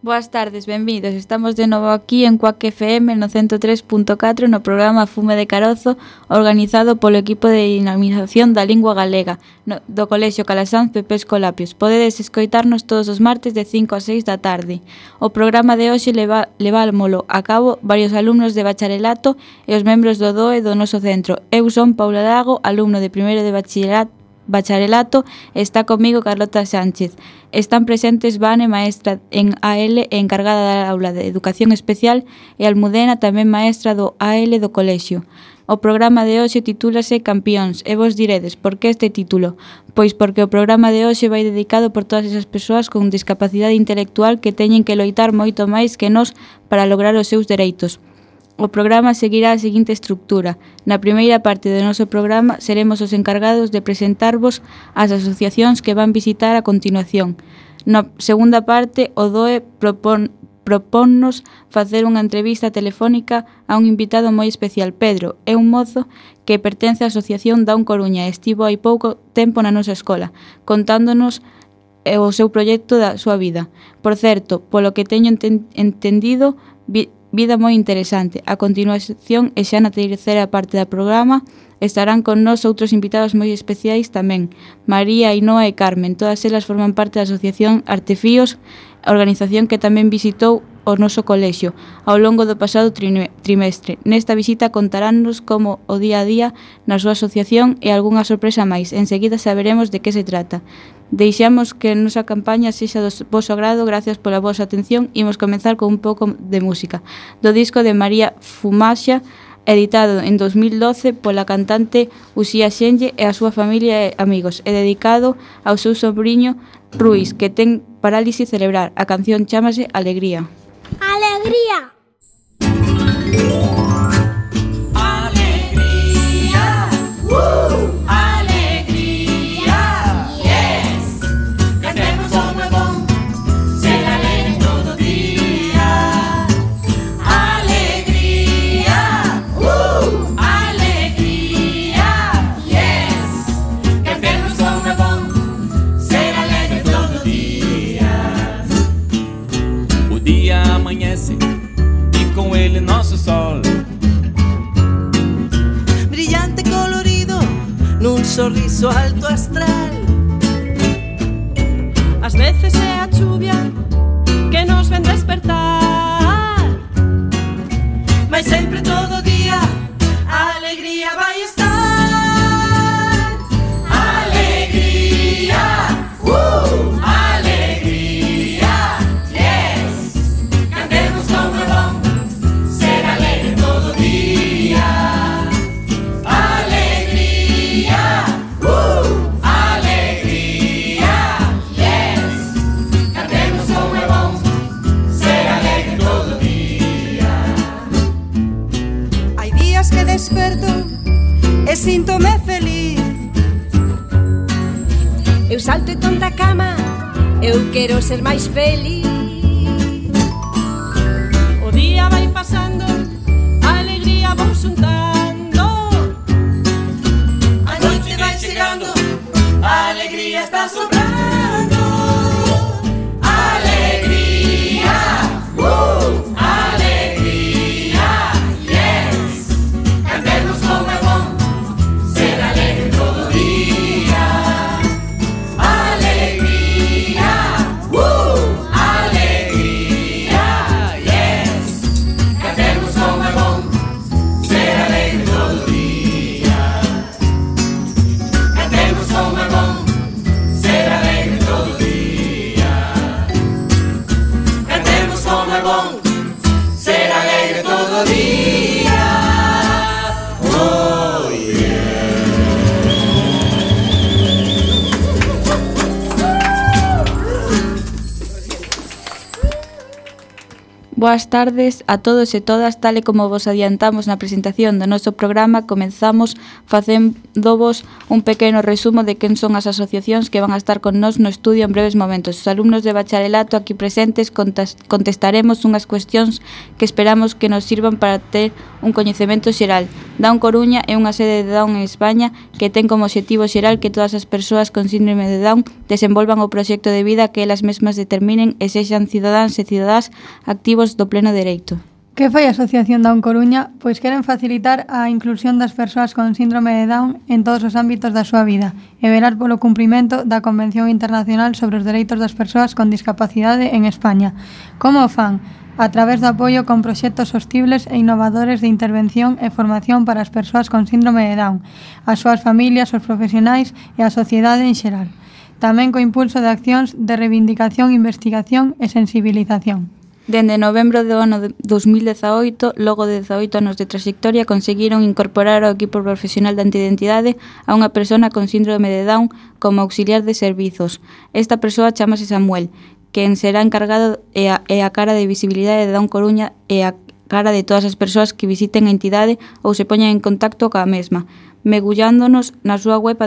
Boas tardes, benvidos. Estamos de novo aquí en Cuac FM no 103.4 no programa Fume de Carozo, organizado polo equipo de dinamización da lingua galega do Colexio Calasanz Pepe Escolapios. Podedes escoitarnos todos os martes de 5 a 6 da tarde. O programa de hoxe levámolo a cabo varios alumnos de bacharelato e os membros do DOE do noso centro. Eu son Paula Lago, alumno de primeiro de bacharelato, está comigo Carlota Sánchez. Están presentes Vane, maestra en AL e encargada da aula de Educación Especial, e Almudena, tamén maestra do AL do colexio. O programa de hoxe titúlase Campións, e vos diredes, por que este título? Pois porque o programa de hoxe vai dedicado por todas esas persoas con discapacidade intelectual que teñen que loitar moito máis que nós para lograr os seus dereitos. O programa seguirá a seguinte estructura. Na primeira parte do noso programa seremos os encargados de presentarvos as asociacións que van visitar a continuación. Na segunda parte, o DOE proponnos facer unha entrevista telefónica a un invitado moi especial. Pedro é un mozo que pertence á Asociación Down Coruña e estivo hai pouco tempo na nosa escola, contándonos o seu proxecto da súa vida. Por certo, polo que teño entendido, vida moi interesante. A continuación, e xa na terceira parte do programa, estarán con nós outros invitados moi especiais tamén, María, Ainhoa e Carmen. Todas elas forman parte da Asociación Artefíos, a organización que tamén visitou o noso colexio ao longo do pasado trimestre. Nesta visita contaránnos como o día a día na súa asociación e algunha sorpresa máis. Enseguida saberemos de que se trata. Deixamos que a nosa campaña sexa do voso agrado. Gracias pola vosa atención. Imos comenzar con un pouco de música do disco de María Fumaxa, editado en 2012 pola cantante Uxía Xenlle e a súa familia e amigos, e dedicado ao seu sobriño Ruiz, que ten parálisis cerebral. A canción chámase Alegría. Alegría. Nosso sol brillante, colorido, nun sorriso alto astral. Ás veces é a chuvia que nos ven despertar, mas sempre todo día a alegría vai estar. Alegría, alegría, yes. Cantemos como é bom ser alegre todo día. Alegría, alegría, yes. Cantemos como é bom ser alegre todo día. Hai días que desperto e síntome feliz. eu salto e ton da cama, eu quero ser máis feliz. O día vai pasando, a alegría vou xuntando, A noite vai chegando, a alegría está sobrando. Alegría, alegría, yes. Cantemos como é bom ser alegre todo día. Alegría, alegría, yes. Cantemos como é bom ser alegre todo día. Cantemos como é bom ser alegre todo día. Cantemos como é bom ser alegre todo día. Oh yeah. Boas tardes a todos e todas, tal e como vos adiantamos na presentación do noso programa, comenzamos facéndovos un pequeno resumo de quen son as asociacións que van a estar con nós no estudio en breves momentos. Os alumnos de bacharelato aquí presentes contestaremos unhas cuestións que esperamos que nos sirvan para ter un coñecemento xeral. Down Coruña é unha sede de Down en España que ten como obxectivo xeral que todas as persoas con síndrome de Down desenvolvan o proxecto de vida que elas mesmas determinen e sexan cidadáns e cidadás activos do pleno dereito. Que fai a Asociación Down Coruña? Pois queren facilitar a inclusión das persoas con síndrome de Down en todos os ámbitos da súa vida e velar polo cumprimento da Convención Internacional sobre os Dereitos das Persoas con Discapacidade en España. Como o fan? A través do apoio con proxectos sostibles e innovadores de intervención e formación para as persoas con síndrome de Down, as súas familias, os profesionais e a sociedade en xeral. Tamén co impulso de accións de reivindicación, investigación e sensibilización. Dende novembro do ano 2018, logo de 18 anos de trayectoria, conseguiron incorporar ao equipo profesional de antiidentidade a unha persona con síndrome de Down como auxiliar de servizos. Esta persoa chamase Samuel, quen será encargado e a cara de visibilidade de Down Coruña e a cara de todas as persoas que visiten a entidade ou se poñan en contacto coa mesma. Megullándonos na súa web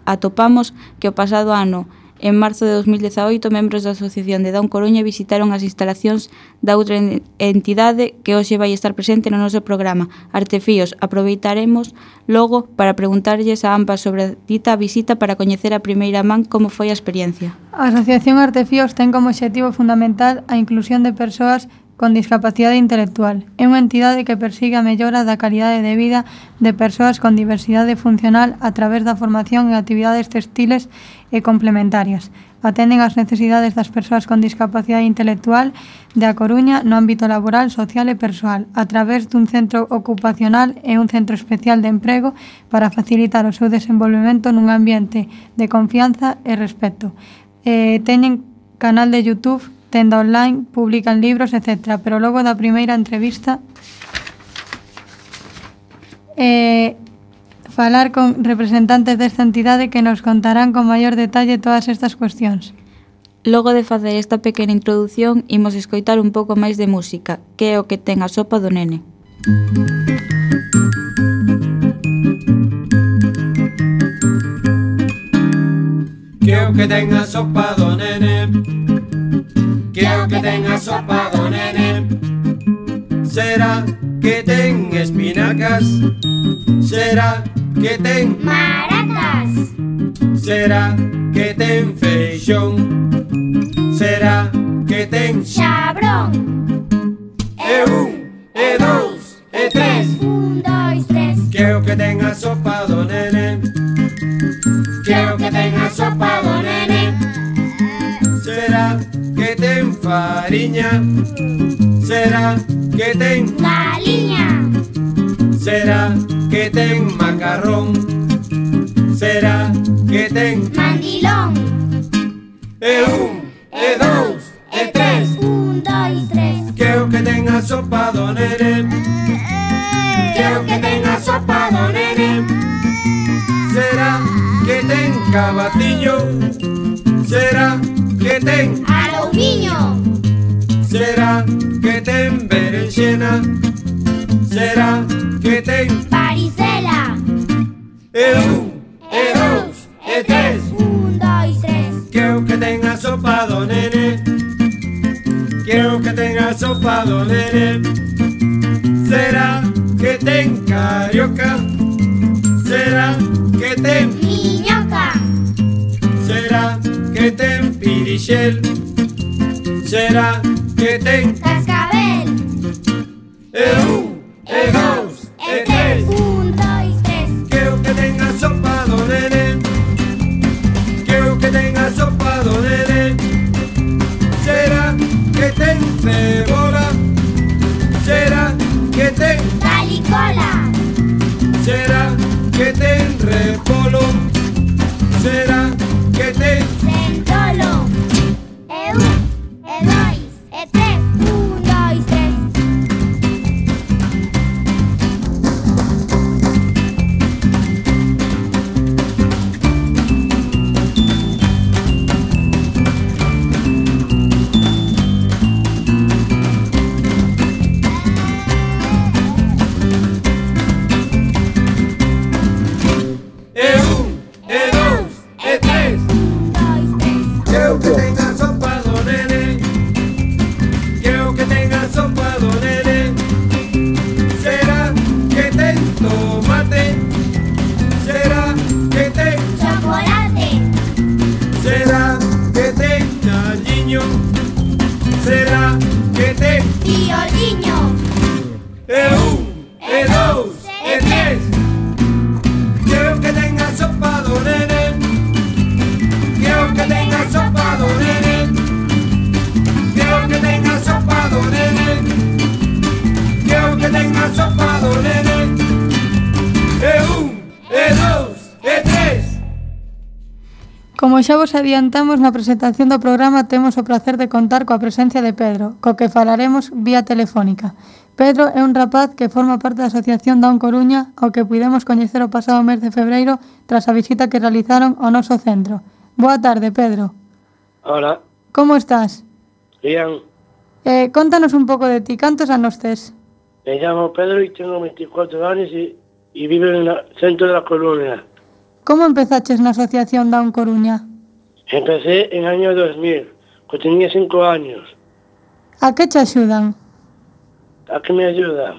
atopamos que o pasado ano, en marzo de 2018, membros da Asociación de Down Coruña visitaron as instalacións da outra entidade que hoxe vai estar presente no noso programa, Artefíos. Aproveitaremos logo para preguntarlles a ambas sobre a dita visita para coñecer a primeira man como foi a experiencia. A Asociación Artefíos ten como obxectivo fundamental a inclusión de persoas con discapacidade intelectual. É unha entidade que persigue a mellora da calidade de vida de persoas con diversidade funcional a través da formación e actividades textiles e complementarias. Atenden as necesidades das persoas con discapacidade intelectual de A Coruña no ámbito laboral, social e persoal, a través dun centro ocupacional e un centro especial de emprego para facilitar o seu desenvolvemento nun ambiente de confianza e respeto. Teñen canal de YouTube, tenda online, publican libros, etc. Pero logo da primeira entrevista falar con representantes desta entidade que nos contarán con maior detalle todas estas cuestións. Logo de facer esta pequena introdución, imos escoitar un pouco máis de música, que é o que ten a sopa do nene. Que é o que ten a sopa do nene? Que é o que ten a sopa do nene? Será que ten espinacas? Será que ten Maracas. Será que ten feixón? Será que ten Xabrón. E un, e dous, e tres? 1, 2, 3. Que é o que ten a sopa do nene? Que é o que ten a sopa do nene? Será que ten fariña? Será que ten Galiña. Será que ten macarrón? Será que ten Mandilón. e un, e dous, e tres? 1, 2, 3. Que é o que ten a sopa do nene? Que é o que ten a sopa do nene? Será que ten cabatiño? Será que ten Aloumiño. Será que ten berenxena? Será que ten Varicela. e un, e dous, e tres? 1, 2, 3. Que é o que ten a sopa do nene? Que é o que ten a sopa do nene? Será que ten carioca? Será que ten Miñoca. Será que ten pirixel? Será que ten Cascabel. e un, e dous, e tres? 1, 2, 3. Que é o que ten a sopa do nene? Que é o que ten a sopa do nene? Será que ten cebola? Será que ten Calicola. Será que ten repolo? Será que ten Centolo. E 1, e 2, e 3. violiño. E un, e dous, e tres. Creo que ten a sopa do nene. Creo que ten a sopa do nene. Creo que ten a sopa do nene. Creo que ten a sopa do nene. E un, e dous, e tres. Como xa vos adiantamos na presentación do programa, temos o placer de contar coa presencia de Pedro, co que falaremos vía telefónica. Pedro é un rapaz que forma parte da Asociación Down Coruña, ao que puidemos coñecer o pasado mes de febreiro tras a visita que realizaron ao noso centro. Boa tarde, Pedro. Hola, Como estás? bien. Contanos un pouco de ti, cantos anos tes? Me llamo Pedro y tengo 24 años y vivo en el centro de La Coruña. Como empezaches na Asociación Down Coruña? Empecé en el año 2000, cuando tenía 5 años. A que te axudan? ¿A qué me ayuda?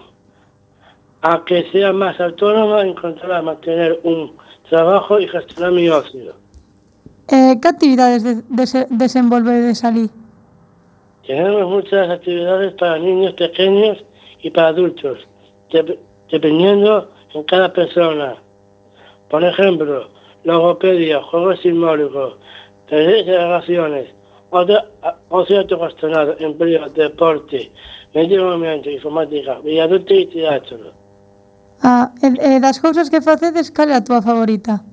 A que sea más autónoma, encontrar, mantener un trabajo y gestionar mi ocio. Que actividades desenvolvedes alí? Tenemos muchas actividades para niños pequeños y para adultos, dependiendo en cada persona. Por ejemplo, logopedia, juegos simbólicos, talleres de relaciones, ocio autogestionado, empleo, deporte, medio ambiente, informática, viaducto y teatro. Das cousas que facedes, cal é a túa favorita?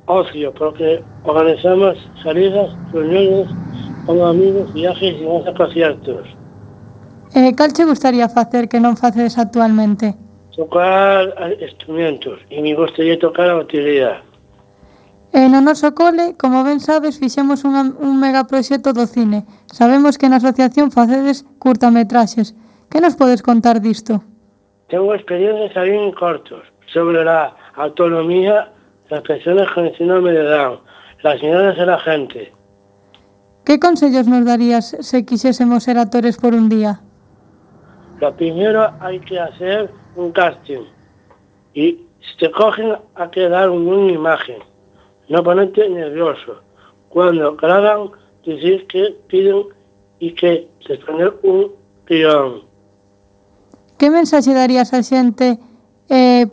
Ocio, porque organizamos salidas, reuniones con amigos, viajes y más conciertos. Cal che gustaría facer que non facedes actualmente? Tocar instrumentos y me gustaría tocar a batería. No noso cole, como ben sabes, fixemos un megaproxecto do cine. Sabemos que na asociación facedes curtametraxes. Que nos podes contar disto? Tengo experiencias ahí en cortos sobre la autonomía de las personas con el síndrome de Down, las miradas de la gente. Que consellos nos darías se quixésemos ser actores por un día? Lo primero hay que hacer un casting y si te cogen hay que dar una buena imagen, no ponerte nervioso. Cuando graban, decir que piden y que responder un guión. Que mensaxe darías a xente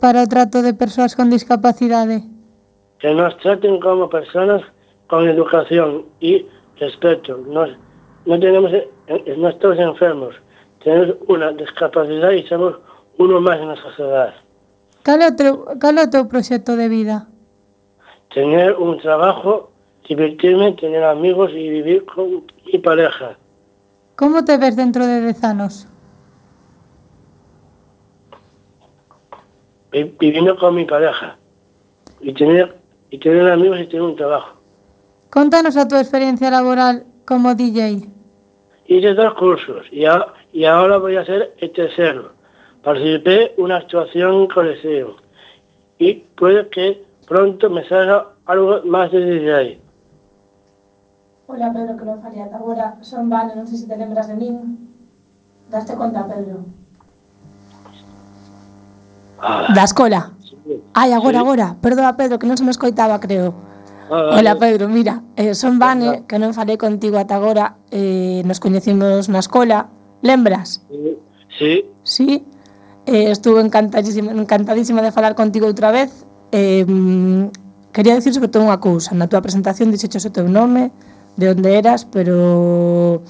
para o trato de persoas con discapacidade? Que nos traten como personas con educación y respeto. No estamos enfermos, tenemos una discapacidad y somos uno más en la sociedad. Cal é o teu proxecto de vida? Tener un trabajo, divertirme, tener amigos y vivir con mi pareja. Como te ves dentro de 10 anos? Viviendo con mi pareja y tener amigos y tener un trabajo. Contanos a túa experiencia laboral como DJ. Hice 2 cursos y ahora voy a hacer el tercero. Participé en una actuación en coliseo y puede que pronto me salga algo más de DJ. Hola Pedro, que non faría agora. Son Vane, non sei se te lembras de min. Daste conta, Pedro? Da escola. Ai, agora. Perdoa, Pedro, que non se me escoitaba, creo. Hola, Pedro, mira, son Vane, que non falei contigo ata agora. Nos coñecimos na escola. Lembras? Sí. Sí. Estuve encantadísima de falar contigo outra vez. Quería dicir sobre todo unha cousa. Na túa presentación dixeches o teu nome, de onde eras, pero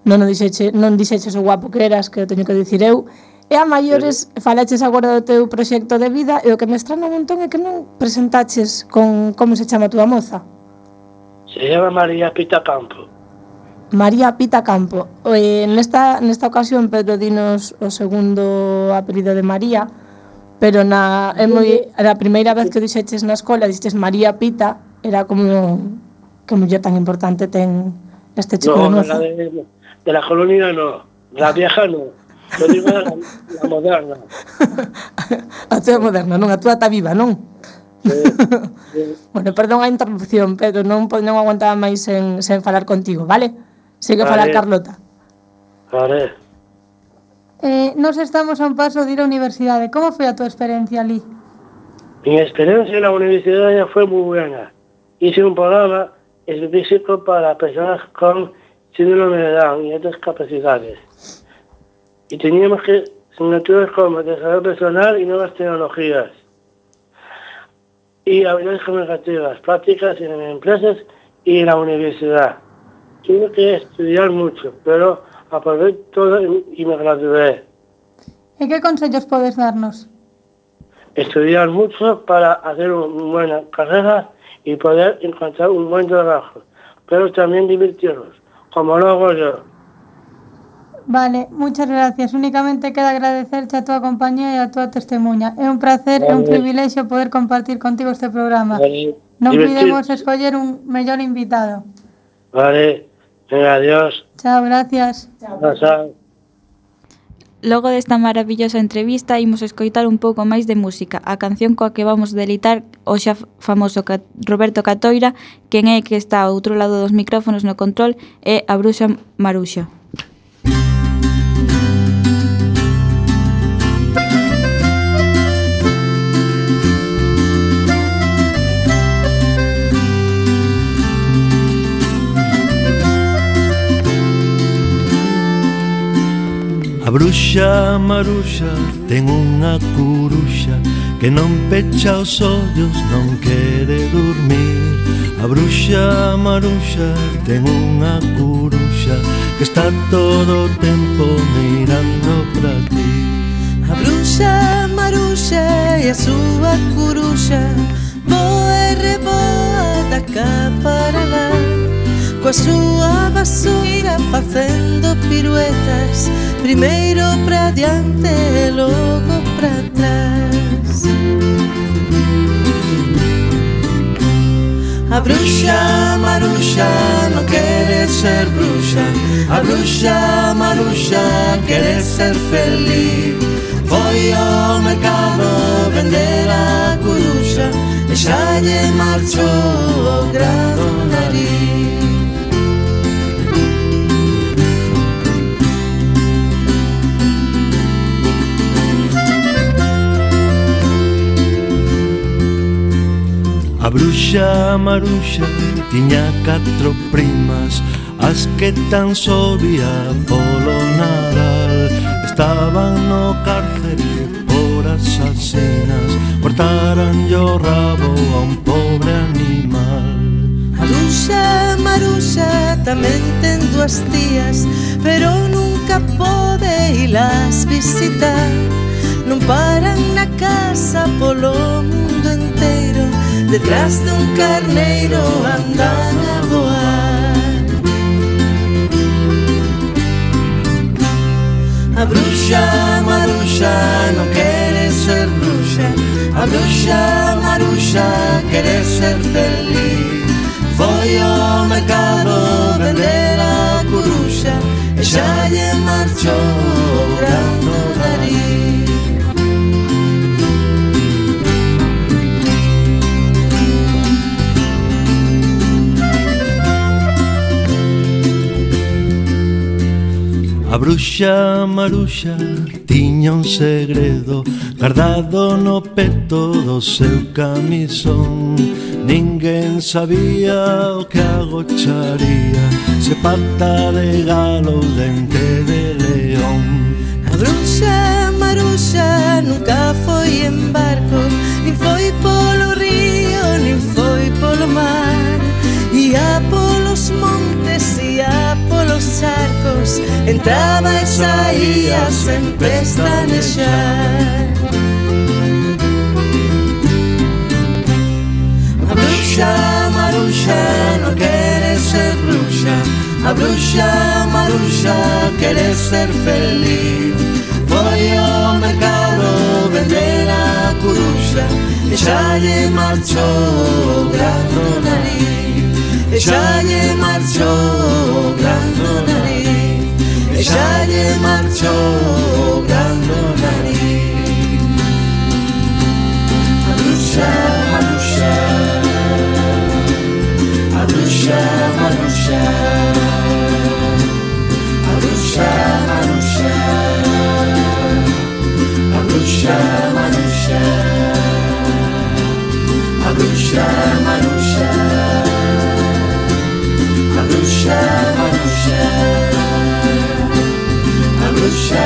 non dixeches o guapo que eras, que o teño que dicir eu. E a maiores falaches agora do teu proxecto de vida e o que me estrana un montón é que non presentaches con como se chama a túa moza. Se llama María Pita Campo. María Pita Campo. Nesta ocasión Pedro dinos o segundo apelido de María, pero a primeira vez que dixeches na escola dixeches María Pita, era como que muller tan importante ten este chico de moza. No, de la colonia no, la vieja no. Yo digo la moderna. A túa moderna, non? A túa está viva, non? Sí. Bueno, perdón a interrupción, Pedro, non aguantaba máis sen falar contigo, vale? Sigue a falar Carlota. Vale. Nos estamos a un paso de ir á universidade. Como foi a túa experiencia ali? Mi experiencia en la universidad ya fue muy buena. Hice un programa específico para personas con síndrome de Down y otras capacidades. y teníamos que asignaturas como desarrollo personal y nuevas tecnologías y habilidades comunicativas, prácticas en empresas y en la universidad. Tuve que estudiar mucho, pero aprobé todo y me gradué. E que consellos podes darnos? Estudiar mucho para hacer una buena carrera y poder encontrar un buen trabajo, pero también divertirnos, como lo hago yo. Vale, muchas gracias. Únicamente queda agradecerte a túa compañía e a túa testemunha. É un placer e un privilexio poder compartir contigo este programa. Vale, Non divertir. podemos escoller un mellor invitado. Vale, venga, adiós. Chao, gracias. Chao. Logo desta maravillosa entrevista, imos escoitar un pouco máis de música. A canción coa que vamos delitar o xa famoso Roberto Catoira, quen é que está ao outro lado dos micrófonos no control, é a Bruxa Maruxa. A bruxa Maruxa ten unha curuxa que non pecha os ollos, non quere dormir. A bruxa Maruxa ten unha curuxa que está todo o tempo mirando pra ti. A bruxa Maruxa e a súa curuxa voa e reboa da cá para lá, coa súa vassoura facendo piruetas, primeiro pra diante e logo pra trás. A bruxa Maruxa non quere ser bruxa, a bruxa Maruxa quere ser feliz. Foi ao mercado vender a curuxa e xa lle marchou o grado nariz. A bruxa Maruxa tiña 4 primas, as que tan só vía polo Nadal. Estaban no cárcere por asasinas, cortaranlle o rabo a un pobre animal. A bruxa Maruxa tamén ten 2 tías, pero nunca pode ilas visitar. Non paran na casa polo mundo enteiro, detrás de un carneiro andan a voar. A bruxa Maruxa non quere ser bruxa, a bruxa Maruxa quere ser feliz. Foi ao mercado vender a curuxa e xa lle marchou o grande nariz. A bruxa Maruxa tiña un segredo guardado no peto do seu camisón. Ninguén sabía o que agocharía, se pata de galo ou dente de león. A bruxa Maruxa nunca foi en barco, nin foi polo río, nin foi polo mar. Ia polos montes, ia polos charcos, entraba e saía sen pestanejar. A bruxa Maruxa non quere ser bruxa, a bruxa Maruxa quere ser feliz. Foi ao mercado vender a curuxa e xa lle marchou o grande nariz. E xa lle marchou o grande nariz, e xa lle marchou o grande nariz. A bruxa Maruxa, a bruxa Maruxa, a bruxa Maruxa, a bruxa Maruxa, a bruxa Maruxa, a bruxa Maruxa, a bruxa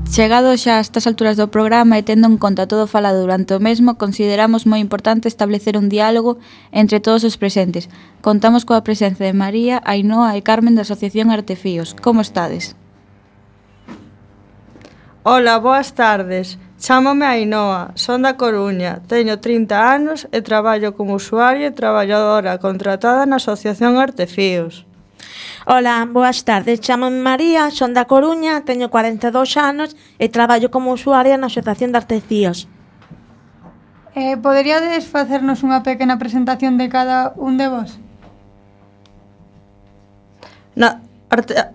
Chegado xa a estas alturas do programa e tendo en conta todo falado durante o mesmo, consideramos moi importante establecer un diálogo entre todos os presentes. Contamos coa presenza de María, Ainhoa e Carmen da Asociación Artefíos. Como estades? Ola, boas tardes. Chámome Ainhoa, son da Coruña, teño 30 anos e traballo como usuaria e traballadora contratada na Asociación Artefíos. Ola, boas tardes, chámome María, son da Coruña, teño 42 anos e traballo como usuaria na Asociación de Artefíos. Poderíades facernos unha pequena presentación de cada un de vos?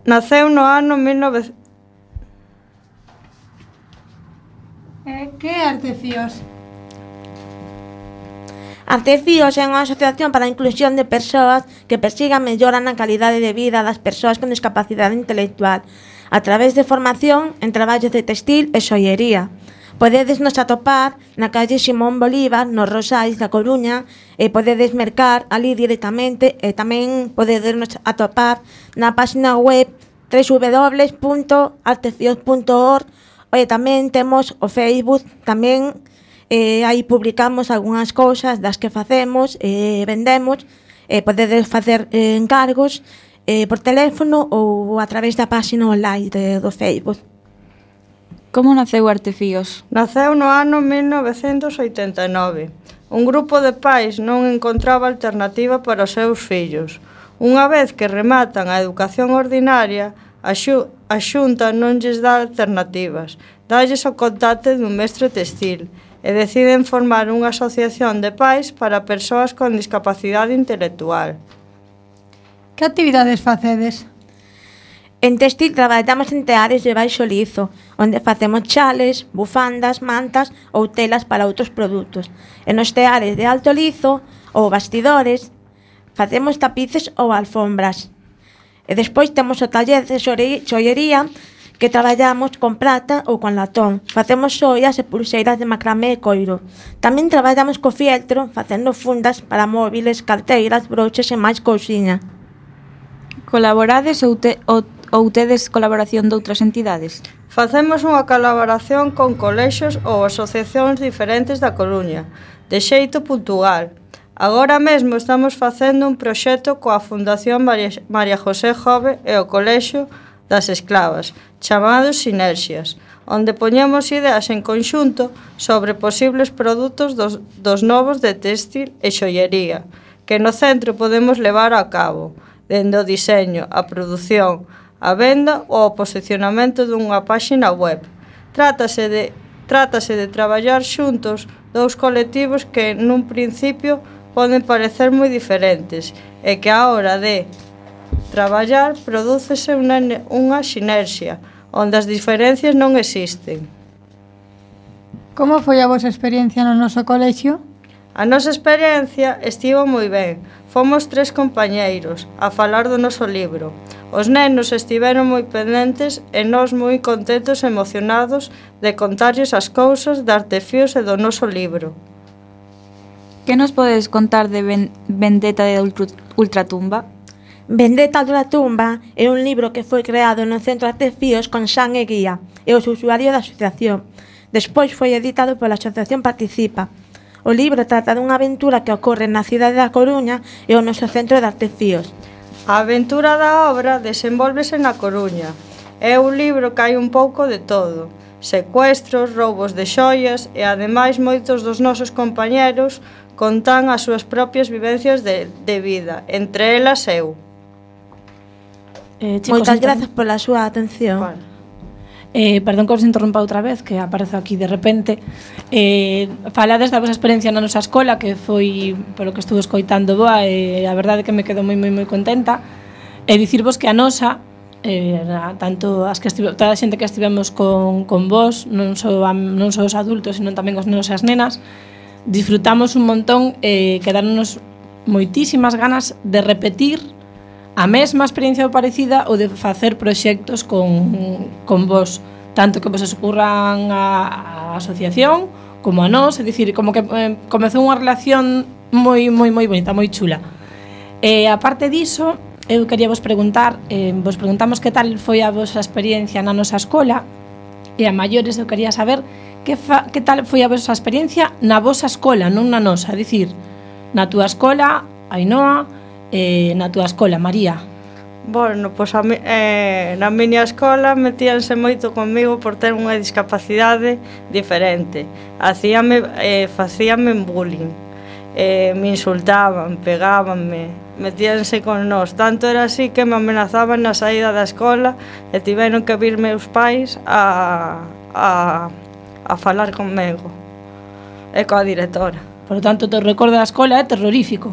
Naceu no ano 1900... Que é Artefíos? Artefíos é unha asociación para a inclusión de persoas que persigan mellora na calidade de vida das persoas con discapacidade intelectual a través de formación en traballos de textil e xoiería. Podedes nos atopar na calle Simón Bolívar, nos Rosais da Coruña, e podedes mercar ali directamente e tamén podedes nos atopar na página web www.artefíos.org e tamén temos o Facebook, tamén aí publicamos algunhas cousas das que facemos e vendemos, podedes facer encargos por teléfono ou a través da página online do Facebook. Como naceu Artefíos? Naceu no ano 1989. Un grupo de pais non encontraba alternativa para os seus fillos. Unha vez que rematan a educación ordinaria, a Xunta non lles dá alternativas, dálles o contacto dun mestre textil e deciden formar unha asociación de pais para persoas con discapacidade intelectual. Que actividades facedes? En textil traballamos en teares de baixo lizo, onde facemos chales, bufandas, mantas ou telas para outros produtos. E nos teares de alto lizo ou bastidores facemos tapices ou alfombras. E despois temos o taller de xoiería, que traballamos con prata ou con latón. Facemos xoias e pulseiras de macramé e coiro. Tamén traballamos co fieltro, facendo fundas para móviles, carteiras, broches e máis cousiña. Colaborades ou tedes colaboración de outras entidades? Facemos unha colaboración con colexios ou asociacións diferentes da Coruña, de xeito puntual. Agora mesmo estamos facendo un proxecto coa Fundación María José Jove e o Colexio das Esclavas, chamados Sinerxias, onde poñemos ideas en conxunto sobre posibles produtos dos novos de textil e xollería, que no centro podemos levar a cabo, dende o diseño, a produción, a venda ou o posicionamento dunha páxina web. Trátase de traballar xuntos dous colectivos que nun principio poden parecer moi diferentes e que a hora de traballar prodúcese unha sinerxia, onde as diferencias non existen. Como foi a vosa experiencia no noso colexio? A nosa experiencia estivo moi ben. Fomos 3 compañeiros a falar do noso libro. Os nenos estiveron moi pendentes e nós moi contentos e emocionados de contarlles as cousas de Artefíos e do noso libro. Que nos podes contar de Vendetta de Ultratumba? Vendetta de Ultratumba é un libro que foi creado no Centro Artefíos con Xan e Guía e os usuarios da asociación. Despois foi editado pola Asociación Participa. O libro trata dunha aventura que ocorre na cidade da Coruña e o noso Centro de Artefíos. A aventura da obra desenvólvese na Coruña. É un libro que hai un pouco de todo. Secuestros, roubos de xoias e, ademais, moitos dos nosos compañeros contan as súas propias vivencias de vida, entre elas eu. Moitas grazas pola súa atención. Vale. Perdón que os interrompa outra vez, que aparezo aquí de repente. Falades da vosa experiencia na nosa escola, que foi, polo que estuve escoitando, boa, e a verdade que me quedo moi contenta. E dicirvos que a nosa, tanto toda a xente que estivemos con vos, non só os adultos, sino tamén os nenos e as nenas, disfrutamos un montón e quedáronos moitísimas ganas de repetir a mesma experiencia ou parecida ou de facer proxectos con vos, tanto que vos escurran a asociación como a nós, é dicir, como que comezou unha relación moi bonita, moi chula. A parte diso, eu quería vos preguntar, vos preguntamos que tal foi a vosa experiencia na nosa escola e a maiores eu quería saber que tal foi a vosa experiencia na vosa escola, non na nosa, dicir, na túa escola, Ainhoa, na túa escola, María. Bueno, pois na miña escola metíanse moito comigo por ter unha discapacidade diferente. Facíame bullying, me insultaban, pegábanme, metíanse con nós. Tanto era así que me amenazaban na saída da escola e tiveron que vir meus pais a falar conmigo e coa directora. Por lo tanto, o recordo da escola é terrorífico.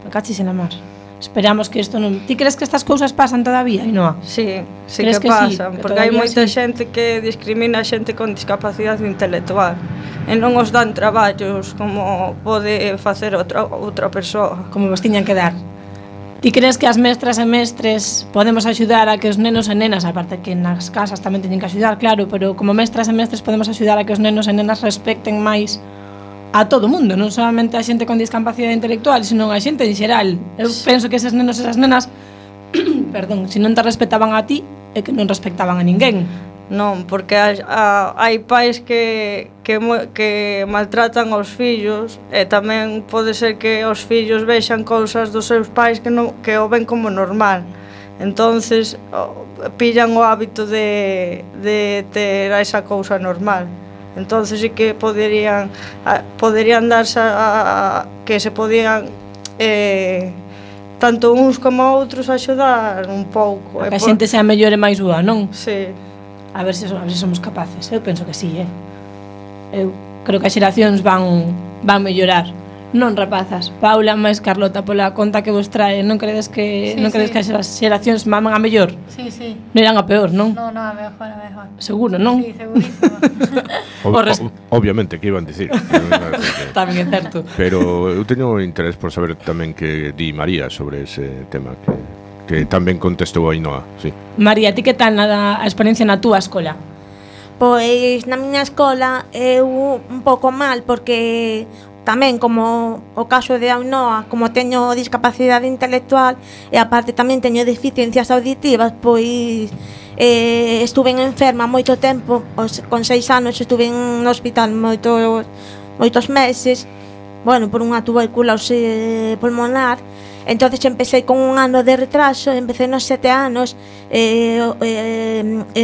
Me cachis en la mar. Esperamos que isto non... Ti crees que estas cousas pasan todavía, Ainhoa? Sí que pasan, sí, porque hai moita xente que discrimina a xente con discapacidade intelectual e non os dan traballos como pode facer outra persoa. Como vos tiñan que dar. Ti crees que as mestras e mestres podemos axudar a que os nenos e nenas, aparte que nas casas tamén teñen que axudar, claro, pero como mestras e mestres podemos axudar a que os nenos e nenas respecten máis a todo o mundo, non solamente a xente con discapacidade intelectual, senón a xente en xeral. Eu penso que eses nenos e esas nenas perdón, se non te respetaban a ti é que non respectaban a ninguén. Non, porque hai pais que maltratan aos fillos e tamén pode ser que os fillos vexan cousas dos seus pais que o ven como normal. Entonces pillan o hábito de ter esa cousa normal. Entonces sí que poderían darse que se podían tanto uns como outros axudar un pouco. Que a xente sea mellor e máis boa, non? Sí. A ver se somos capaces. Eu penso que sí, Eu creo que as xeracións van mellorar. Non, rapazas. Paula máis Carlota, pola conta que vos trae, non credes que as xeracións van a mellor? Sí. Non irán a peor, non? Non, a mellor. Seguro, non? Sí, segurísimo. Obviamente, que iban dicir. Tamén é certo. Pero eu teño interés por saber tamén que di María sobre ese tema que tamén contestou a Ainhoa, sí. María, ti que tal a experiencia na túa escola? Pois na miña escola eu un pouco mal porque tamén como o caso de Ainhoa, como teño discapacidade intelectual e aparte tamén teño deficiencias auditivas, pois estuve enferma moito tempo, con 6 anos estuve no hospital moitos meses, bueno, por unha tuberculose pulmonar. Entonces empecé con un ano de retraso, empecé nos 7 anos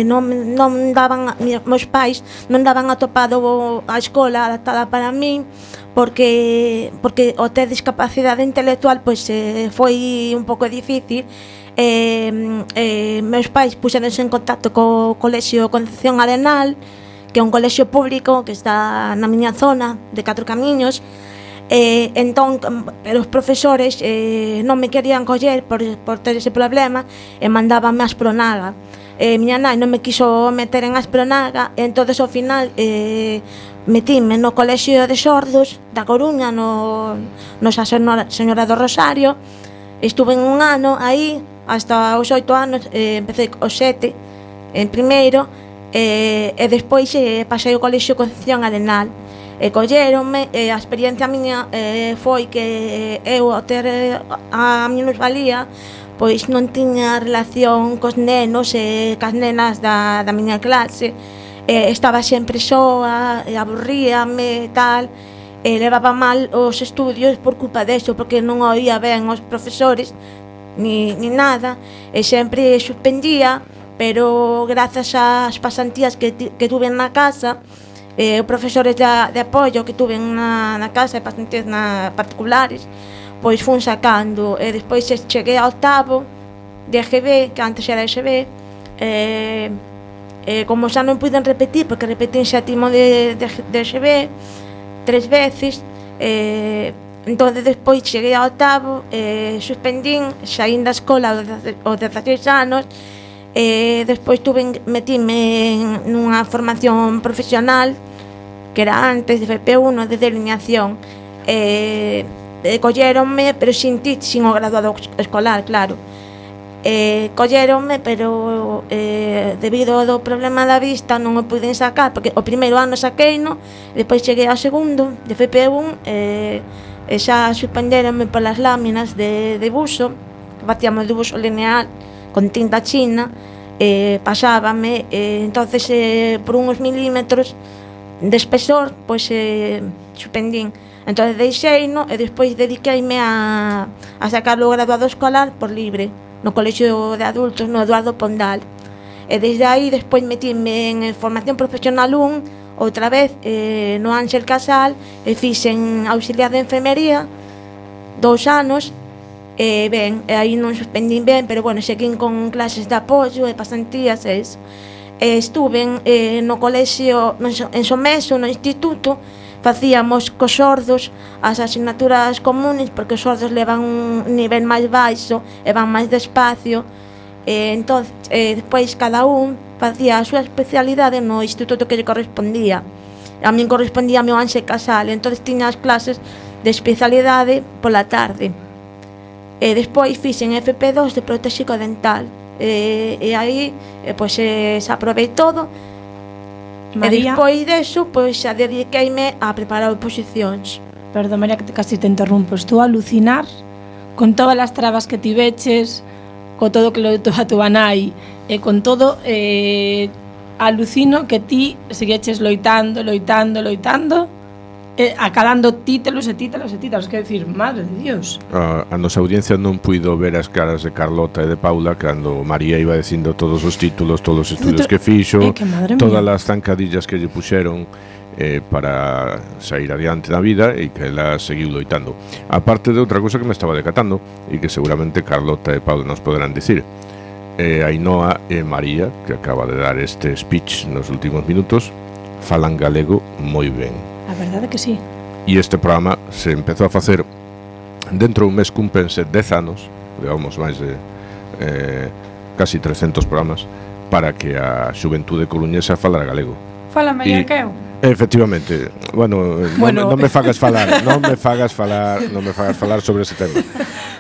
non daban, meus pais non daban atopado a escola adaptada para min porque o ter discapacidade intelectual pois foi un pouco difícil. Meus pais puxeronse en contacto co Colexio Concepción Arenal, que é un colexio público que está na miña zona de 4 Camiños. Entón, pero os profesores non me querían coller por ter ese problema e mandábanme a Aspronaga. Miña nai non me quiso meter en Aspronaga, e entonces ao final metíme no Colexio de Sordos da Coruña, no Señora do Rosario. Estuve un ano aí hasta os 8 anos, empecé os 7 en primeiro e despois pasei ao Colexio Concepción Arenal. Colleronme, a experiencia miña foi que eu ao ter a minusvalía pois non tiña relación cos nenos e cas nenas da miña clase, estaba sempre soa, aburríame e tal, levaba mal os estudios por culpa deso, porque non oía ben os profesores ni nada, e sempre suspendía, pero grazas ás pasantías que tuve na casa, os profesores de apoio que tuve na casa e pasantías particulares, pois fun sacando, e despois cheguei ao octavo de EGB, que antes era EGB, como xa non puiden repetir, porque repetín xétimo de EGB 3 veces, entón despois cheguei ao octavo, suspendín, saín da escola aos 16 anos, despois metíme nunha formación profesional que era antes de FP1 de delineación, colleronme pero sin o graduado escolar, claro, colleronme pero debido ao problema da vista non o puiden sacar, porque o primeiro ano saqueino, despois cheguei ao segundo de FP1 e xa suspenderonme polas láminas de debuxo, que facíamos debuxo lineal con tinta china, pasábame, entonces por uns milímetros de espesor, pois suspendín. Entonces deixeino e despois dediqueime a sacar o graduado escolar por libre no colexio de adultos, no Eduardo Pondal. E desde aí despois metíme en formación profesional 1 outra vez no Ángel Casal e fixen auxiliar de enfermería 2 anos. Ben, aí non suspendín ben, pero bueno, seguín con clases de apoio e pasantías e eso. Estuve no colexio en Someso, no instituto. Facíamos cos sordos as asignaturas comunes, porque os sordos levan un nivel máis baixo e van máis despacio. Entón, despois cada un facía a súa especialidade no instituto que lle correspondía. A min correspondía ao Ángel Casal, entón tiña as clases de especialidade pola tarde. Despois fixen FP2 de protéxico dental. E aí, pois, se aprovei todo. María, e despois deso, pois xa dediqueime a preparar oposicións. Perdón, María, que casi te interrumpo. Estou a alucinar con todas as trabas que tiveches, con todo que lo a túa nai, e con todo, alucino que ti segueches loitando, acalando títulos, quero dicir, madre de Dios. A nosa audiencia non puido ver as caras de Carlota e de Paula cando María iba dicindo todos os títulos, todos os estudios que fixo, todas as zancadillas que lle puxeron para sair adiante na vida e que ela seguiu loitando. Aparte de outra cousa que me estaba decatando e que seguramente Carlota e Paula nos poderán dicir, Ainhoa e María, que acaba de dar este speech nos últimos minutos, falan galego moi ben. A verdade que sí. E este programa se empezou a facer dentro dun mes cúmprense 10 anos, digamos máis de casi 300 programas para que a xuventude coruñesa falara galego. Fala mellor que eu. Efectivamente. Bueno, non me fagas falar sobre ese tema.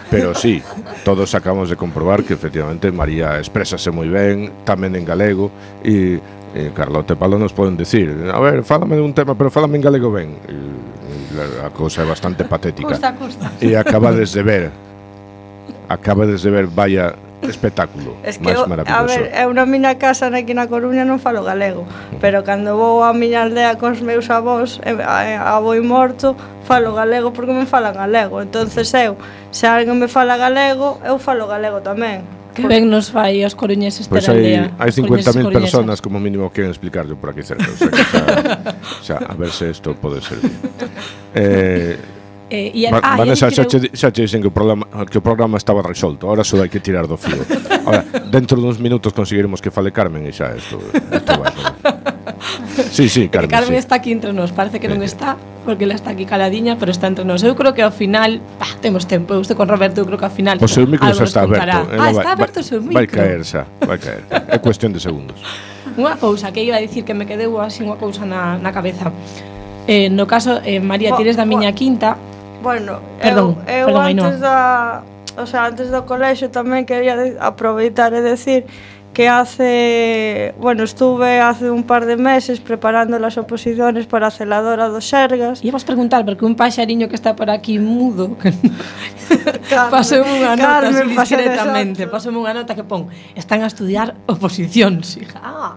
Pero sí, todos acabamos de comprobar que efectivamente María exprésase moi ben, tamén en galego, e Carlota e Paulo nos poden decir, a ver, fálame de un tema, pero fálame en galego ben. A cousa é bastante patética. Custa. E acabades de ver, vaya espectáculo máis maravilloso. A ver, eu na miña casa aquí na Coruña non falo galego, pero cando vou á miña aldea cos meus avós, avó morto, falo galego porque me falan galego. Entonces eu, se alguén me fala galego, eu falo galego tamén. Que ben nos fai os coruñeses ter aldea. Hai 50.000 coruñeses. personas como mínimo que queren explicarlo por aquí cerca. O sea, a ver se isto pode ser. Vanessa, xa te dicen que o programa estaba resolto. Ahora só hai que tirar do fío. Ahora, dentro duns minutos conseguiremos que fale Carmen e xa isto vai. Sí, Carmen. Carmen está aquí entre nós, parece que non está, porque ela está aquí caladiña, pero está entre nós. Eu creo que ao final, temos tempo, eu estou con Roberto, eu creo que ao final o seu micro xa está aberto. Está aberto o seu micro. Vai caer. É cuestión de segundos. Unha cousa que iba a dicir que me quedeu así unha cousa na cabeza. No caso, María, tires da miña quinta. Bueno, perdón, antes do colexio tamén quería aproveitar e decir que estuve hace un par de meses preparando las oposiciones para a celadora do Sergas. E vos preguntar, porque un paxariño que está por aquí mudo, pasou unha nota así discretamente, pasou unha nota que pon, están a estudiar oposicións, hija.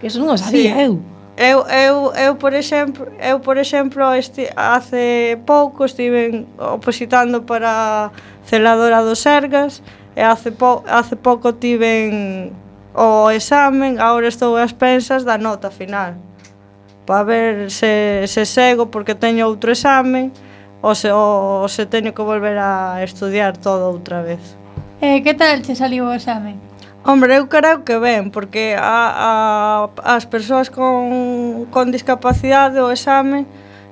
Que eso non o sabía eu. Eu, por exemplo, hace pouco estive opositando para a celadora do Sergas e hace pouco tiven o examen, agora estou ás pensas da nota final para ver se sego porque teño outro examen ou se teño que volver a estudiar todo outra vez. Que tal che saliu o examen? Hombre, eu creo que ben, porque as persoas con discapacidade o exame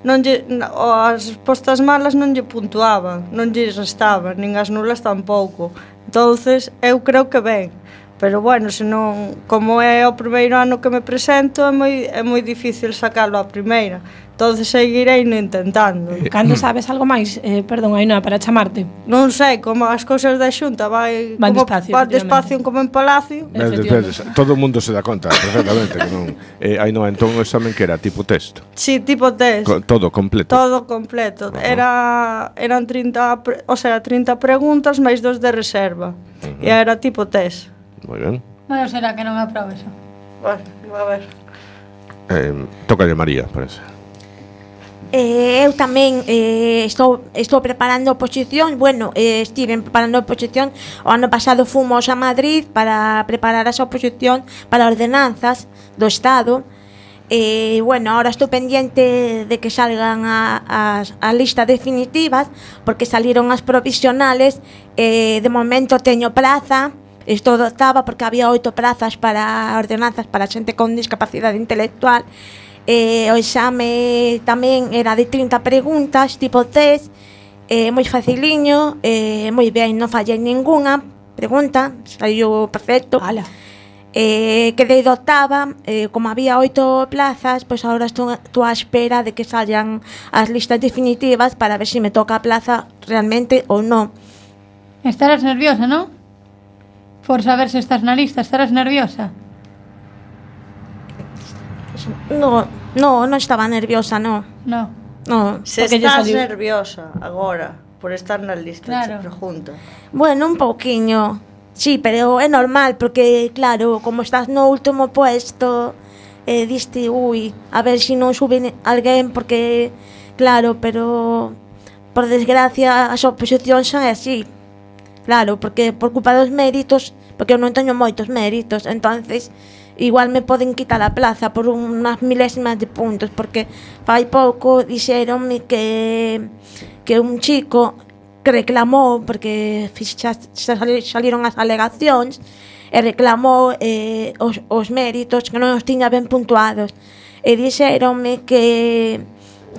as respostas malas non lle puntuaban, non lle restaban, nin as nulas tampouco. Entonces, eu creo que ben. Pero bueno, senón, como é o primeiro ano que me presento, é moi difícil sacalo a primeira. Entonces seguirei intentando. Cando sabes algo máis, perdón, Ainhoa, para chamarte? Non sei, como as cousas da Xunta van despacio como en Palacio. Todo o mundo se dá conta perfectamente que non. Ainhoa, entón o examen que era tipo test? Sí, tipo test. Todo completo. Todo completo. Eran 30 preguntas máis 2 de reserva. E era tipo test. Moi ben. Bueno, será que non aprobe eso. Bueno, a ver. Tócalle María, parece. Eu tamén estou preparando oposición. Bueno, estive preparando oposición. O ano pasado fomos a Madrid para preparar esa oposición para ordenanzas do Estado. Bueno, ahora estou pendiente de que salgan as listas definitivas, porque saliron as provisionales. De momento teño plaza. Estou dotada porque había 8 plazas para ordenanzas para xente con discapacidade intelectual. O exame tamén era de 30 preguntas, tipo test, moi faciliño, moi ben, non fallei ninguna pregunta, saiu perfecto. Quedei dotada, como había 8 plazas, pois agora estou á espera de que salgan as listas definitivas para ver se me toca a plaza realmente ou non. Estarás nerviosa, non? Por saber se estás na lista, estarás nerviosa? Non estaba nerviosa, non. No. Se estás nerviosa agora por estar na lista, claro. Te pregunto. Bueno, un pouquiño. Sí, pero é normal, porque, claro, como estás no último puesto, diste, a ver se non sube alguén, porque, claro, pero, por desgracia, as oposicións son así. Claro, porque por culpa dos méritos, porque eu non teño moitos méritos, entonces igual me poden quitar a plaza por unhas milésimas de puntos, porque fai pouco dixeronme que un chico que reclamou, porque xa saliron as alegacións, e reclamou os méritos que non os tiña ben puntuados, e dixeronme que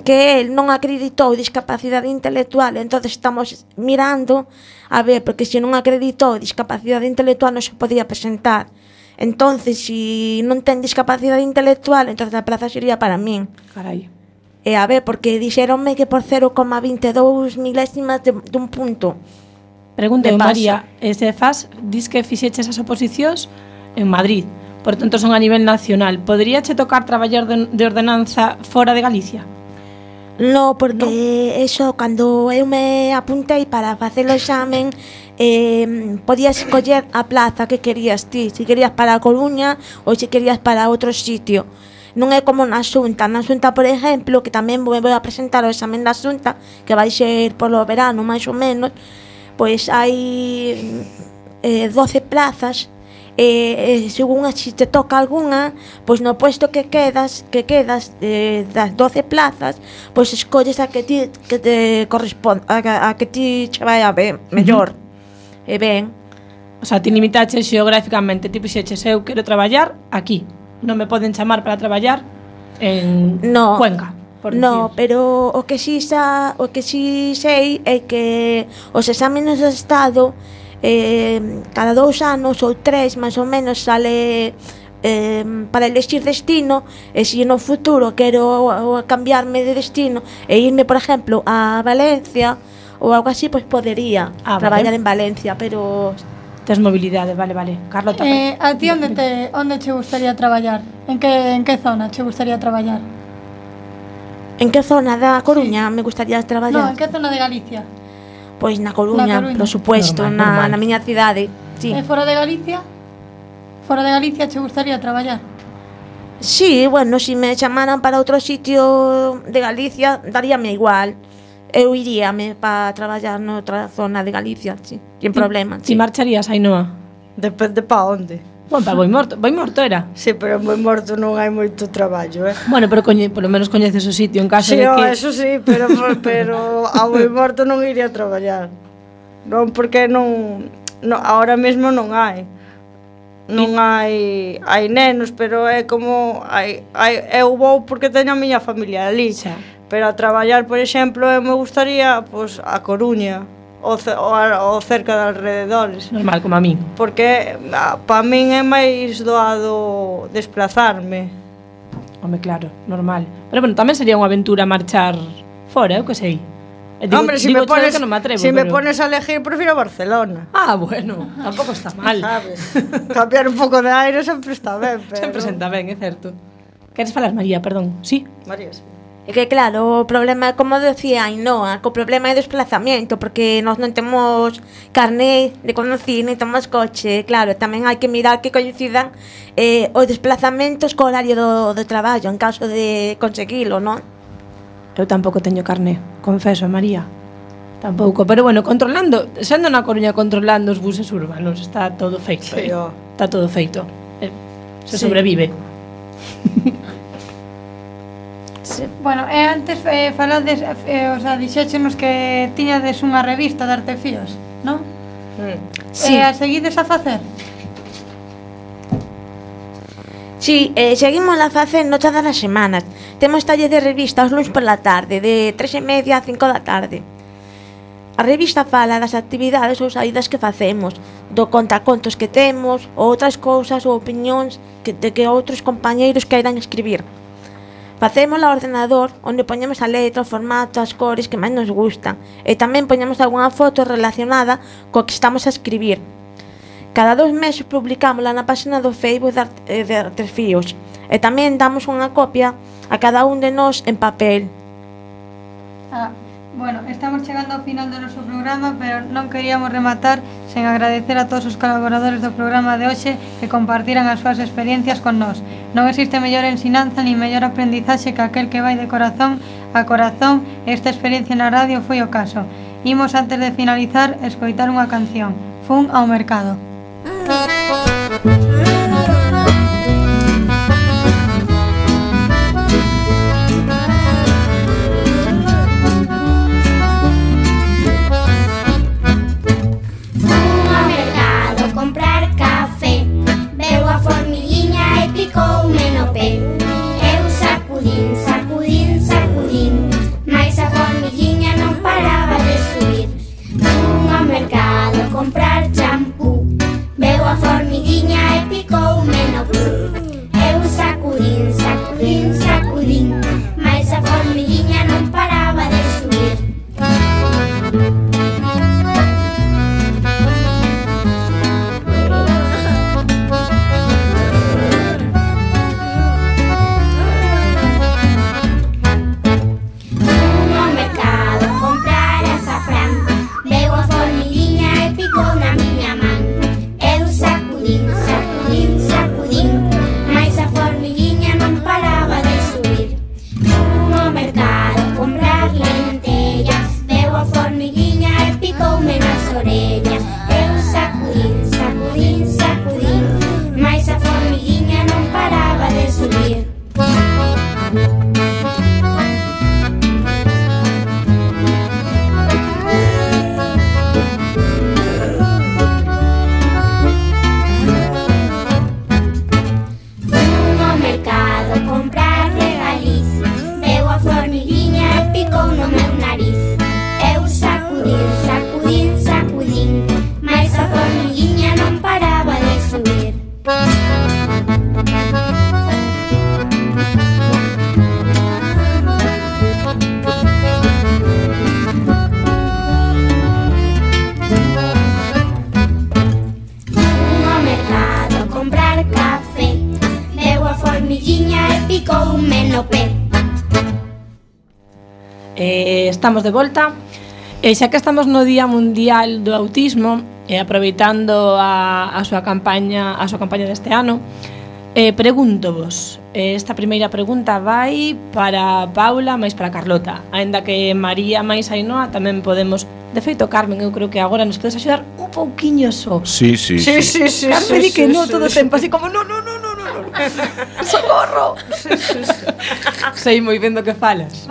el non acreditou discapacidade intelectual. Entonces estamos mirando a ver, porque se non acreditou discapacidade intelectual non se podía presentar. Entonces, se non ten discapacidade intelectual, entonces a plaza sería para min. Carai. E a ver, porque dixeronme que por 0,22 milésimas dun punto. Pregunta, María, dis que fixeches as oposicións en Madrid, por tanto son a nivel nacional. Poderíache tocar traballar de ordenanza fora de Galicia? No, porque eso, cando eu me apuntei para facer o examen, podías escoller a plaza que querías ti, se querías para a Coruña ou se querías para outro sitio. Non é como na Xunta. Na Xunta, por exemplo, que tamén vou a presentar o examen da Xunta, que vai ser polo verano, máis ou menos, pois hai 12 plazas, según se te toca algunha, pois no puesto que quedas das 12 plazas, pois escolles a que te corresponde, a que ti che vai a ver mellor. E ben, o sea, ti limitaches xeográficamente, tipo xeches, eu quero traballar aquí, non me poden chamar para traballar en Cuenca. No, pero o que si sei é que os exámenes do Estado cada 2 anos ou 3 máis ou menos sale para elegir destino, e se no futuro quero cambiarme de destino e irme, por exemplo, a Valencia ou algo así, pois podería traballar en Valencia, pero tes mobilidade, vale. Carlota, a ti onde che gustaría traballar? En que zona che gustaría traballar? En que zona da Coruña me gustaría traballar? No, en que zona de Galicia? Pois na Coruña, por supuesto, na miña cidade. Sí. E fora de Galicia? Fora de Galicia che gustaría traballar? Sí, bueno, se me chamaran para outro sitio de Galicia, daríame igual. Eu iríame para traballar noutra zona de Galicia, sí, sin problema. Ti marcharías, Ainhoa? Depende pa onde. Bueno, para Boimorto era. Sí, pero en Boimorto non hai moito traballo, Bueno, pero polo menos coñeces o sitio en caso de que... Sí, eso sí, pero a Boimorto non iría a traballar. Non, porque non ahora mesmo non hai. Non hai nenos, pero é como eu vou porque teño a miña familia ali. Xa. Pero a traballar, por exemplo, me gustaría pois a Coruña ou cerca de alrededores. Normal, como a min. Porque para min é máis doado desplazarme. Home, claro, normal. Pero bueno, tamén sería unha aventura marchar fora, eu que sei. Hombre, se me pones a elegir, prefiro Barcelona. Ah, bueno, tampouco está mal. Sabes? Cambiar un pouco de aire sempre está ben, pero... Sempre senta ben, é certo. Queres falar, María, perdón? Sí? María, sí. É que claro, o problema, como decía Ainhoa, que o problema é o desplazamento, porque nós non temos carné de conducir, nem temos coche. Claro, tamén hai que mirar que coincidan os desplazamentos co horario do traballo, en caso de conseguilo, non? Eu tampouco teño carné, confeso, María. Tampouco, pero bueno, controlando, sendo na Coruña controlando os buses urbanos, está todo feito. Sí, está todo feito. Se Sí. sobrevive. Sí. Bueno, antes falades, o sea, dixéchenos que tiñades unha revista de artefíos, non? Sí. A seguides a facer? Sí, seguimos a facendo todas as semanas. Temos taller de revista os luns pola tarde, de 3:30 a 5 da tarde. A revista fala das actividades ou saídas que facemos, do contacontos que temos, ou outras cousas ou opinións de que outros compañeiros queiran escribir. Facemos ao ordenador, onde poñemos a letra, o formato, as cores que máis nos gustan, e tamén poñemos algunha foto relacionada co que estamos a escribir. Cada 2 meses publicámola na página do Facebook de Artefíos, e tamén damos unha copia a cada un de nós en papel. Bueno, estamos chegando ao final do noso programa, pero non queríamos rematar sen agradecer a todos os colaboradores do programa de hoxe que compartiran as súas experiencias con nós. Non existe mellor ensinanza ni mellor aprendizaxe que aquel que vai de corazón a corazón, e esta experiencia na radio foi o caso. Imos, antes de finalizar, escoitar unha canción, Fun ao mercado. Picoume no pé. Eu sacudín, sacudín, sacudín, mais a formiguinha non paraba de subir. Fun ao mercado a comprar champú, veu a formiguinha e picoume no cu. Eu sacudín, sacudín, sacudín, mais a formiguinha non paraba de subir. Estamos de volta e xa que estamos no Día Mundial do Autismo e aproveitando a súa campaña deste ano, pregúntovos, esta primeira pregunta vai para Paula máis para Carlota, aínda que María máis Ainhoa tamén podemos. De feito, Carmen, eu creo que agora nos podes axudar un pouquiño só. Sí. Carmen di que non todo o tempo, así como no. Socorro. Sei moi ben do que falas.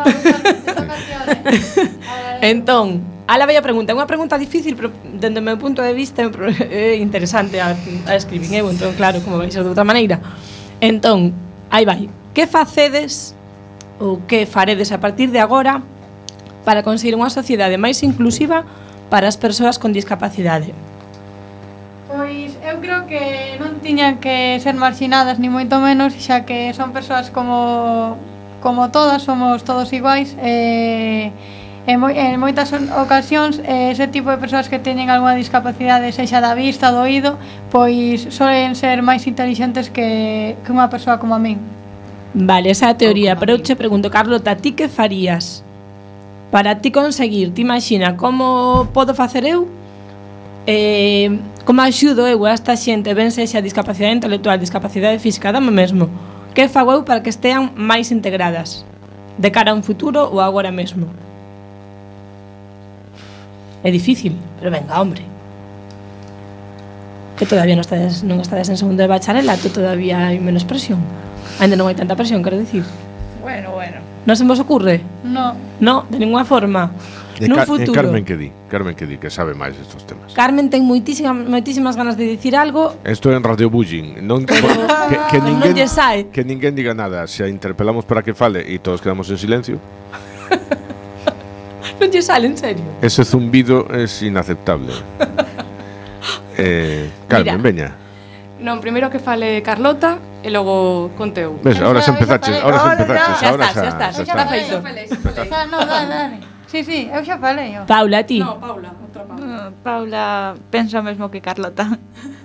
Entón, ala vai a pregunta. É unha pregunta difícil, pero dende o meu punto de vista é interesante a escribir. Entón, claro, como vai ser de outra maneira. Entón, aí vai. Que facedes ou que faredes a partir de agora para conseguir unha sociedade máis inclusiva para as persoas con discapacidade? Pois eu creo que non tiñan que ser marxinadas ni moito menos, xa que son persoas como todas, somos todos iguais, en moitas ocasións ese tipo de persoas que teñen algunha discapacidade, sexa da vista, do oído, pois solen ser máis intelixentes que unha persoa como a min. Vale, esa é a teoría, pero eu che pregunto, Carlota, ti que farías para ti conseguir, ti imagina como podo facer eu, como axudo eu a esta xente, ben sexa discapacidade intelectual, discapacidade física, dame mesmo, que fago eu para que estean máis integradas de cara a un futuro ou agora mesmo? É difícil, pero venga, hombre, que todavía non estades en segundo de bacharelato, todavía hai menos presión. Ainda non hai tanta presión, quero dicir. Bueno. Non se vos ocurre? No. No, de ninguna forma. Nun futuro. Carmen que di, que sabe máis estos temas. Carmen ten moitísimas ganas de dicir algo. Esto é en Radio Bullying. Non, non lle sai. Que ninguén diga nada. Se a interpelamos para que fale e todos quedamos en silencio. Non lle sale, en serio. Ese zumbido é inaceptable. Carmen, veña. Non, primeiro que fale Carlota e logo conteu. Ves, ahora se empezaches. Xa está feito. No, dale. Sí, eu xa falei. Paula, ti? No, Paula, outra Paula. Paula pensa o mesmo que Carlota.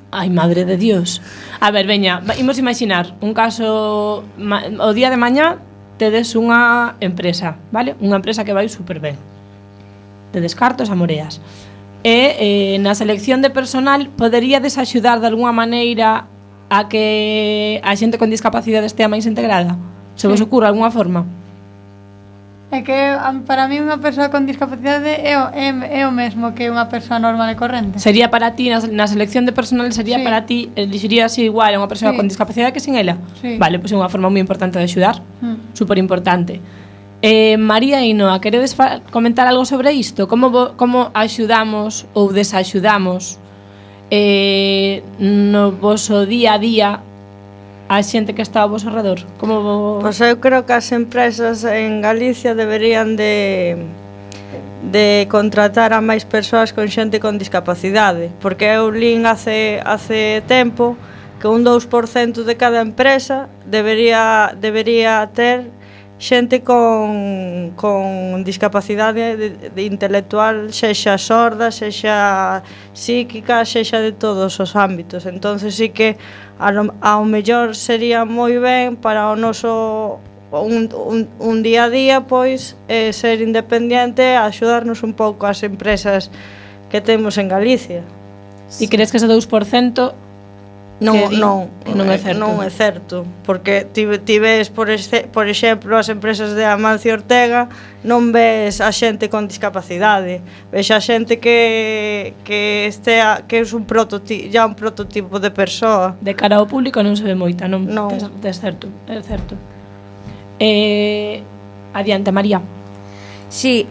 Ai, madre de Dios. A ver, veña, imos imaginar un caso, o día de mañá tedes unha empresa, vale? Unha empresa que vai super ben. De descartos a moreas. E na selección de personal poderíades axudar de alguna maneira a que a xente con discapacidade estea máis integrada? Se vos ocurre alguna forma? É que para mí unha persoa con discapacidade é o mesmo que unha persoa normal e corrente. Sería para ti, na selección de personal sería para ti, elixirías igual a unha persoa con discapacidade que sin ela? Sí. Vale, pois é unha forma moi importante de axudar, super importante. María e Inoa, queredes comentar algo sobre isto? Como axudamos ou desaxudamos no voso día a día a xente que está ao voso redor? Pois eu creo que as empresas en Galicia deberían de contratar a máis persoas con xente con discapacidade, porque eu lín hace tempo que un 2% de cada empresa debería ter xente con discapacidade de intelectual, sexa sorda, sexa psíquica, sexa de todos os ámbitos. Entonces sí que ao mellor sería moi ben para o noso un día a día, pois ser independiente e axudarnos un pouco as empresas que temos en Galicia. E crees que ese 2% Non é certo, porque ti ves, por exemplo, as empresas de Amancio Ortega, non ves a xente con discapacidade, ves a xente que é un prototipo de persoa. De cara ao público non se ve moita, non. É certo. Adiante, María. Sí,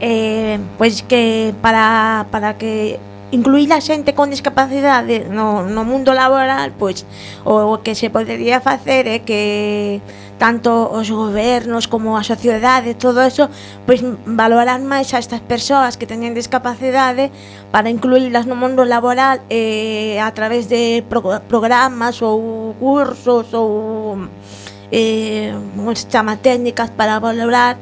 pois que para que incluir a xente con discapacidade no mundo laboral, pois o que se podería facer é que tanto os gobernos como a sociedade, todo eso, pois valorar máis a estas persoas que teñen discapacidade para incluílas no mundo laboral a través de programas ou cursos ou como se chama, técnicas para valorar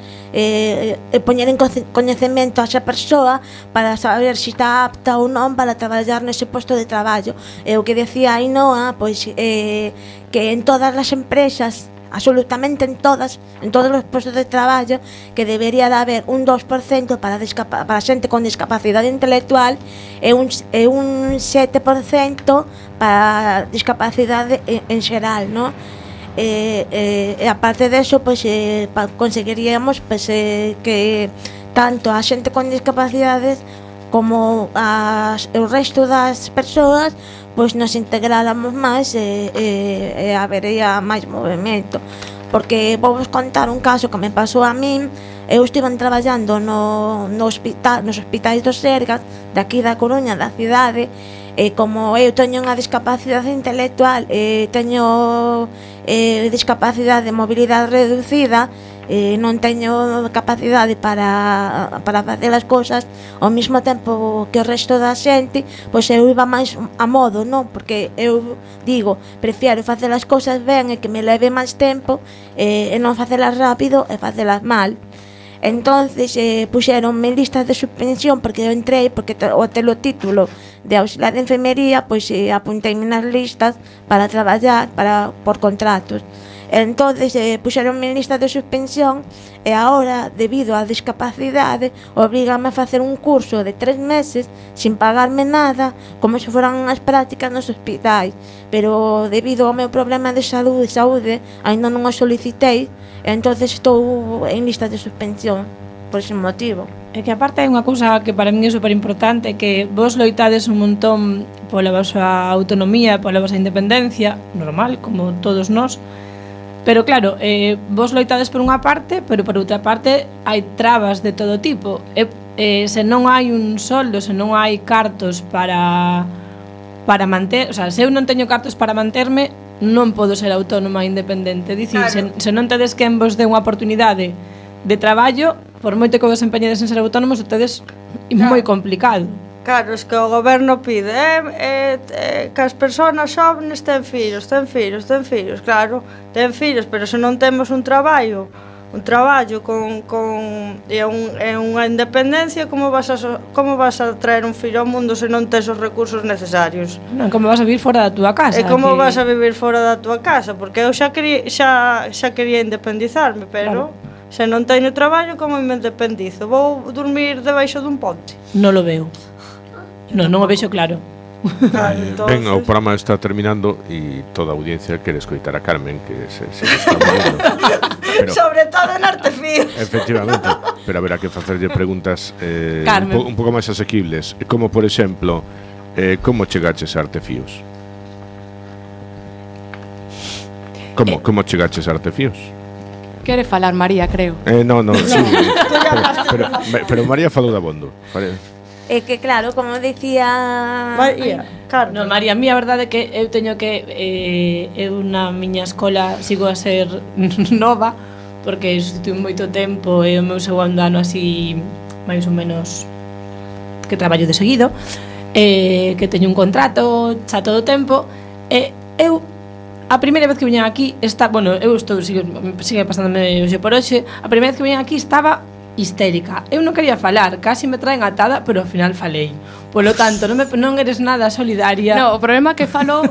poñer en coñecemento a esa persoa para saber se está apta ou non para traballar nese posto de traballo. O que decía Ainoa, pois que en todas as empresas, absolutamente en todos os postos de traballo, que debería de haber un 2% para xente con discapacidade intelectual e un 7% para discapacidade en xeral, non? E aparte deso, pois conseguiríamos que tanto a xente con discapacidades como o resto das persoas pois nos integráramos máis e habería máis movimento. Porque vou vos contar un caso que me pasou a min. Eu estive traballando nos hospitais dos Sergas de aquí da Coruña, da cidade, e como eu teño unha discapacidade intelectual e teño discapacidade de mobilidade reducida, non teño capacidade para facer as cousas ao mesmo tempo que o resto da xente, pois eu iba máis a modo, non? Porque eu digo, prefiero facer as cousas ben e que me leve máis tempo e non facelas rápido e facelas mal. Entonces puxeronme en listas de suspensión porque eu entrei, porque o telo título de auxiliar de enfermería, pois apunteime nas listas para traballar por contratos. Entonces puxeronme en lista de suspensión e agora, debido á discapacidade, obrígame a facer un curso de 3 meses sin pagarme nada, como se foran unhas prácticas nos hospitais. Pero debido ao meu problema de saúde, ainda non o solicitei, e entonces estou en lista de suspensión por ese motivo. É que aparte hai unha cousa que para min é super importante, que vos loitades un montón pola vosa autonomía, pola vosa independencia, normal, como todos nós, pero claro, vos loitades por unha parte, pero por outra parte hai trabas de todo tipo. Se non hai un soldo, se non hai cartos para manter, o sea, se eu non teño cartos para manterme, non podo ser autónoma e independente. Dicir, claro, se non tedes quen vos dé unha oportunidade de traballo, por moito que vos empeñedes en ser autónomos, ustedes é moi complicado. Claro, es que o goberno pide que as persoas xóvenes ten fillos, claro, ten fillos, pero se non temos un traballo e unha independencia, como vas a traer un fillo ao mundo se non tes os recursos necesarios? Non, como vas a vivir fora da túa casa? E como vas a vivir fora da túa casa? Porque eu xa quería independizarme, pero se non teño traballo, como me independizo? Vou dormir debaixo dun ponte? Non lo veo. Non o vexo claro. Ben, o programa está terminando e toda a audiencia quere escoitar a Carmen, que se está moviendo. Pero, sobre todo en Artefíos. Efectivamente, pero haberá que facerlle preguntas un pouco máis asequibles, como por exemplo, como chegaches a Artefíos? Como chegaches a Artefíos? Quere falar María, creo. No, sí, pero María falou da Bondo. É que claro, como dicía María, no, María, a mí a verdade é que eu teño que eu na miña escola sigo a ser nova, porque estuve moito tempo e o meu segundo ano así máis ou menos que traballo de seguido, que teño un contrato xa todo o tempo, e eu a primeira vez que viña aquí sigue pasándome hoxe por hoxe. A primeira vez que viña aquí estaba histérica. Eu non quería falar, casi me traen atada, pero ao final falei. Polo tanto, non eres nada solidaria. No, o problema é que falo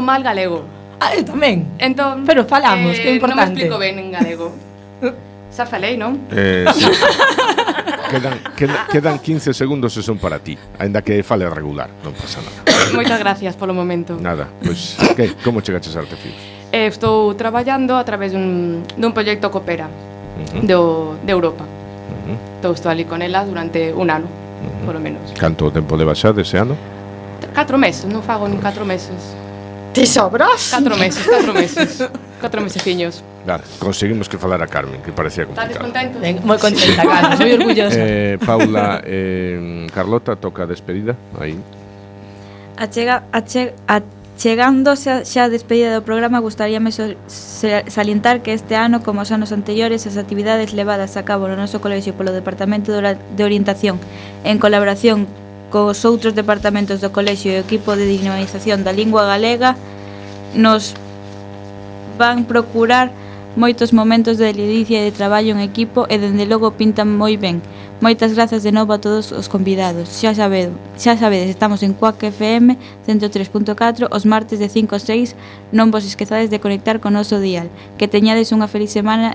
mal galego. Eu tamén. Entón, pero falamos, que é importante. Non me explico ben en galego. Xa falei, non? Sí. Quedan 15 segundos e son para ti, aínda que fale regular, non pasa nada. Moitas gracias polo momento. Nada, pois, como chegaches a Artefíos? Estou traballando a través dun proxecto Coopera de Europa. Estou ali con ela durante un ano, polo menos. Canto tempo levas xa dese ano? 4 meses, non fago nin 4 meses. Ti sobras? 4 meses. 4 meseciños. Claro, conseguimos que falara Carmen, que parecía complicado. Estás contento? Moi contenta, Carmen, moi orgullosa. Paula, Carlota, toca a despedida, aí. Chegándose xa a despedida do programa, gustaríame salientar que este ano, como os anos anteriores, as actividades levadas a cabo no noso colexio polo Departamento de Orientación, en colaboración cos outros departamentos do colexio e o equipo de dinamización da lingua galega, nos van procurar moitos momentos de ledicia e de traballo en equipo e dende logo pintan moi ben. Moitas grazas de novo a todos os convidados. Xa sabedes, estamos en Cuac FM 103.4 os martes de 5 a 6. Non vos esquezades de conectar con o noso dial. Que teñades unha feliz semana